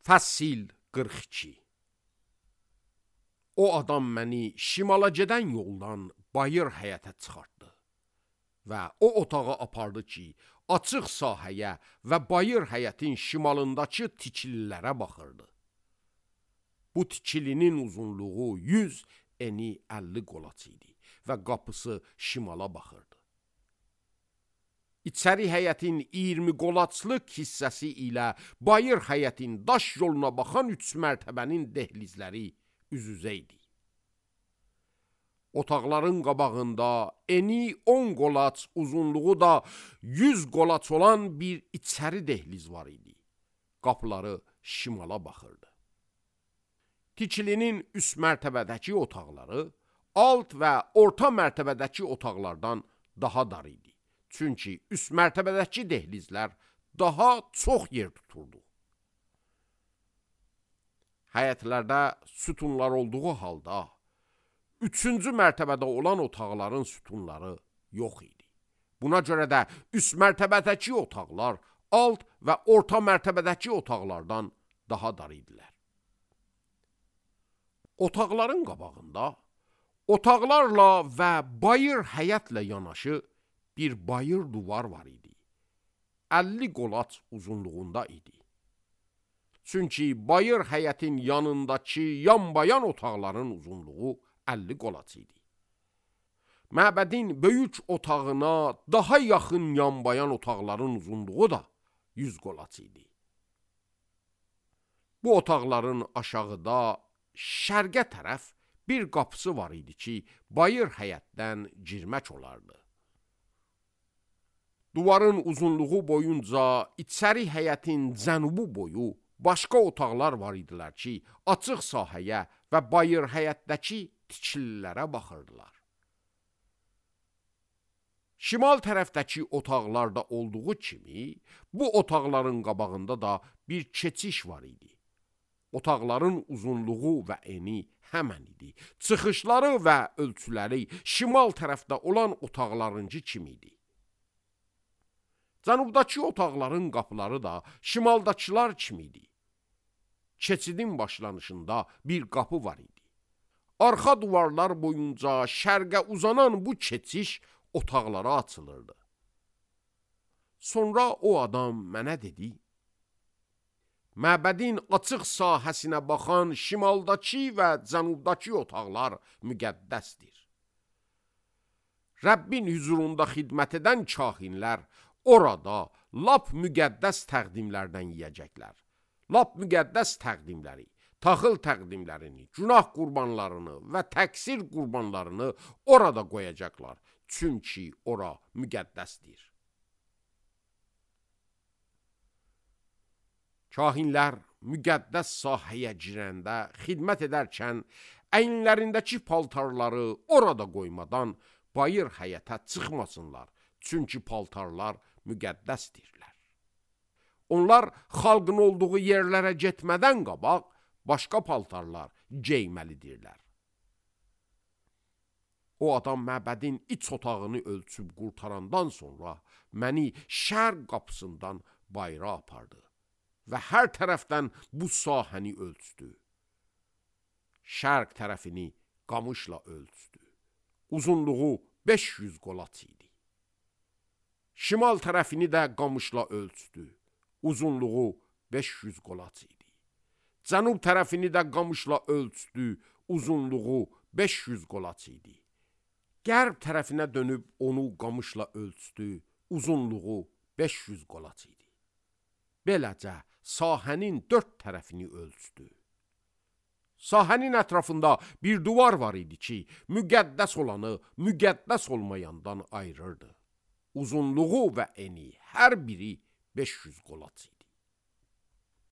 Fəsil 42. O adam məni şimala gedən yoldan bayır həyətə çıxartdı və o otağa apardı ki, açıq sahəyə və bayır həyətin şimalındakı tikililərə baxırdı. Bu tikilinin uzunluğu 100, eni 50 qolaç idi və qapısı şimala baxırdı. İçəri həyətin 20 qolaçlıq hissəsi ilə bayır həyətin daş yoluna baxan 3 mərtəbənin dehlizləri üz-üzə idi. Otaqların qabağında eni 10 qolaç, uzunluğu da 100 qolaç olan bir içəri dehliz var idi. Qapıları şimala baxırdı. Tikilinin üst mərtəbədəki otaqları alt və orta mərtəbədəki otaqlardan daha dar idi. Çünki üst mərtəbədəki dehlizlər daha çox yer tuturdu. Həyətlərdə sütunlar olduğu halda, 3-cü mərtəbədə olan otaqların sütunları yox idi. Buna görə də üst mərtəbədəki otaqlar alt və orta mərtəbədəki otaqlardan daha dar idilər. Otaqların qabağında, otaqlarla və bayır həyətlə yanaşı bir bayır duvar var idi. 50 qolaç uzunluğunda idi. Çünki bayır həyətin yanındakı yanbayan otaqların uzunluğu 50 qolaç idi. Məbədin böyük otağına daha yaxın yanbayan otaqların uzunluğu da 100 qolaç idi. Bu otaqların aşağıda şərqə tərəf bir qapısı var idi ki, bayır həyətdən girmək olardı. Duvarın uzunluğu boyunca içəri həyətin cənubu boyu başqa otaqlar var idilər ki, açıq sahəyə və bayır həyətdəki tikililərə baxırdılar. Şimal tərəfdəki otaqlarda olduğu kimi, bu otaqların qabağında da bir keçiş var idi. Otaqların uzunluğu və eni həmən idi. Çıxışları və ölçüləri şimal tərəfdə olan otaqlarıncı kimi idi. Cənubdakı otaqların qapıları da şimaldakılar kimi idi. Keçidin başlanışında bir qapı var idi. Arxa duvarlar boyunca şərqə uzanan bu keçiş otaqlara açılırdı. Sonra o adam mənə dedi, məbədin açıq sahəsinə baxan şimaldakı və cənubdakı otaqlar müqəddəsdir. Rəbbin hüzurunda xidmət edən kahinlər orada lap müqəddəs təqdimlərdən yeyəcəklər. Lap müqəddəs təqdimləri, taxıl təqdimlərini, günah qurbanlarını və təqsir qurbanlarını orada qoyacaqlar. Çünki ora müqəddəsdir. Kahinlər müqəddəs sahəyə girəndə, xidmət edərkən əyinlərindəki paltarları orada qoymadan bayır həyətə çıxmasınlar. Çünki paltarlar müqəddəsdirlər. Onlar xalqın olduğu yerlərə getmədən qabaq başqa paltarlar geyməlidirlər. O adam məbədin iç otağını ölçüb qurtarandan sonra məni şərq qapısından bayıra apardı və hər tərəfdən bu sahəni ölçdü. Şərq tərəfini qamışla ölçdü. Uzunluğu 500 qolaç idi. Şimal tərəfini də qamışla ölçdü. Uzunluğu 500 qolaç idi. Cənub tərəfini də qamışla ölçdü. Uzunluğu 500 qolaç idi. Qərb tərəfinə dönüb onu qamışla ölçdü. Uzunluğu 500 qolaç idi. Beləcə sahənin 4 tərəfini ölçdü. Sahənin ətrafında bir duvar var idi ki, müqəddəs olanı müqəddəs olmayandan ayırırdı. Uzunluğu və eni hər biri 500 qolaç idi.